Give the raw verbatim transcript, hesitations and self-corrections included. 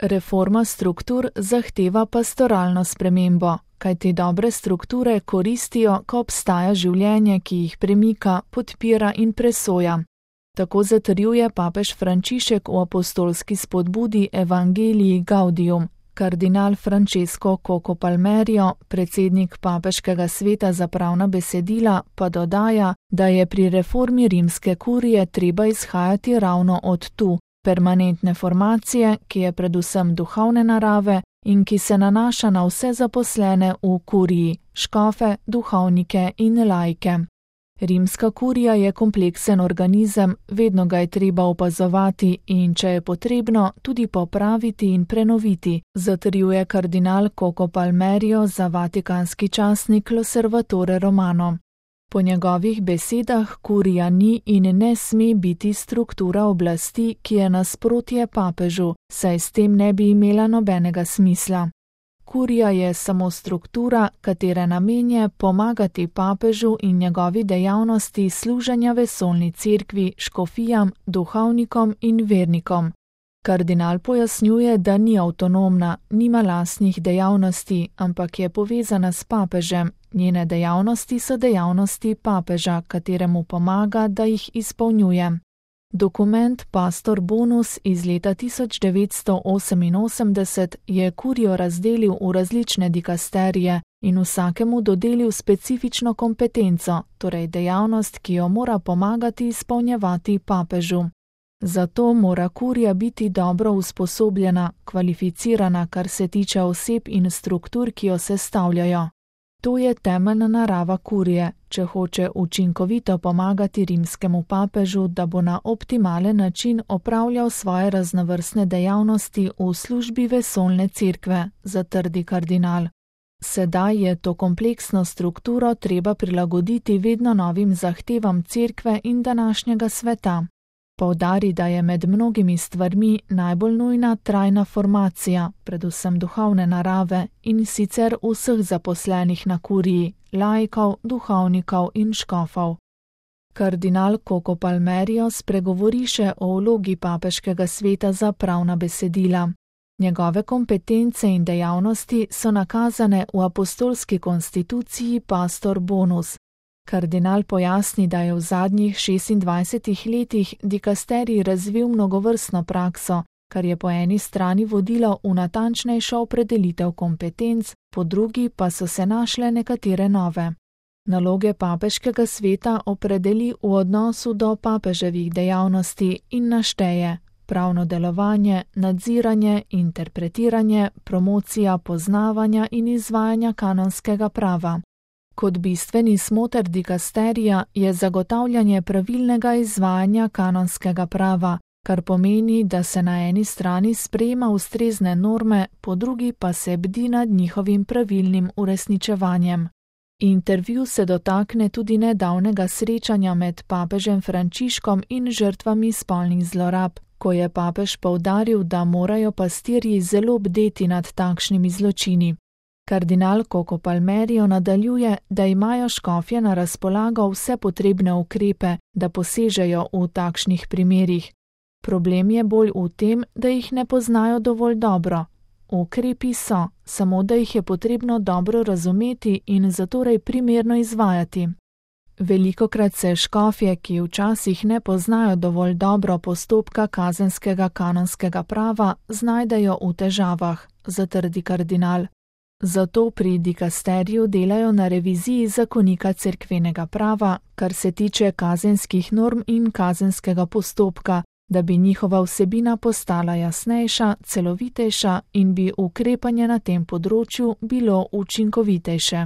Reforma struktur zahteva pastoralno spremembo, kajti dobre strukture koristijo, ko obstaja življenje, ki jih premika, podpira in presoja. Tako zatrjuje papež Frančišek v apostolski spodbudi Evangelii Gaudium. Kardinal Francesco Coco Palmerio, predsednik papeškega sveta za pravna besedila, pa dodaja, da je pri reformi rimske kurije treba izhajati ravno od tu, permanentne formacije, ki je predvsem duhovne narave in ki se nanaša na vse zaposlene v kuriji, škofe, duhovnike in laike. Rimska kurija je kompleksen organizem, vedno ga je treba opazovati in, če je potrebno, tudi popraviti in prenoviti, zatrjuje kardinal Coco Palmerio za vatikanski časnik L'Osservatore Romano. Po njegovih besedah kurija ni in ne sme biti struktura oblasti, ki je nasprotje papežu, saj s tem ne bi imela nobenega smisla. Kurija je samo struktura, katere namen je pomagati papežu in njegovi dejavnosti služenja vesoljni cerkvi, škofijam, duhovnikom in vernikom. Kardinal pojasnjuje, da ni avtonomna, nima lastnih dejavnosti, ampak je povezana s papežem. Njene dejavnosti so dejavnosti papeža, kateremu pomaga, da jih izpolnjuje. Dokument Pastor Bonus iz leta tisoč devetsto oseminosemdeset je kurijo razdelil v različne dikasterije in vsakemu dodelil specifično kompetenco, torej dejavnost, ki jo mora pomagati izpolnjevati papežu. Zato mora kurija biti dobro usposobljena, kvalificirana, kar se tiče oseb in struktur, ki jo sestavljajo. To je temeljna narava kurije, če hoče učinkovito pomagati rimskemu papežu, da bo na optimalen način opravljal svoje raznovrstne dejavnosti v službi vesoljne cerkve, zatrdi kardinal. Sedaj je to kompleksno strukturo treba prilagoditi vedno novim zahtevam cerkve in današnjega sveta. Poudari, da je med mnogimi stvarmi najbolj nujna trajna formacija, predvsem duhovne narave, in sicer vseh zaposlenih na kuriji, laikov, duhovnikov in škofov. Kardinal Coco Palmerio spregovori še o vlogi papeškega sveta za pravna besedila. Njegove kompetence in dejavnosti so nakazane v apostolski konstituciji Pastor Bonus. Kardinal pojasni, da je v zadnjih šestindvajsetih letih dikasterij razvil mnogovrstno prakso, kar je po eni strani vodilo v natančnejšo opredelitev kompetenc, po drugi pa so se našle nekatere nove. Naloge papeškega sveta opredeli v odnosu do papeževih dejavnosti in našteje pravno delovanje, nadziranje, interpretiranje, promocija poznavanja in izvajanja kanonskega prava. Kot bistveni smoter dikasterija je zagotavljanje pravilnega izvajanja kanonskega prava, kar pomeni, da se na eni strani sprejema ustrezne norme, po drugi pa se bdi nad njihovim pravilnim uresničevanjem. Intervju se dotakne tudi nedavnega srečanja med papežem Frančiškom in žrtvami spolnih zlorab, ko je papež poudaril, da morajo pastirji zelo bdeti nad takšnimi zločini. Kardinal Coco Palmerio nadaljuje, da imajo škofje na razpolago vse potrebne ukrepe, da posežejo v takšnih primerih. Problem je bolj v tem, da jih ne poznajo dovolj dobro. Ukrepi so, samo da jih je potrebno dobro razumeti in zatorej primerno izvajati. Velikokrat se škofje, ki včasih ne poznajo dovolj dobro postopka kazenskega kanonskega prava, znajdejo v težavah, zatrdi kardinal. Zato pri dikasteriju delajo na reviziji zakonika cerkvenega prava, kar se tiče kazenskih norm in kazenskega postopka, da bi njihova vsebina postala jasnejša, celovitejša in bi ukrepanje na tem področju bilo učinkovitejše.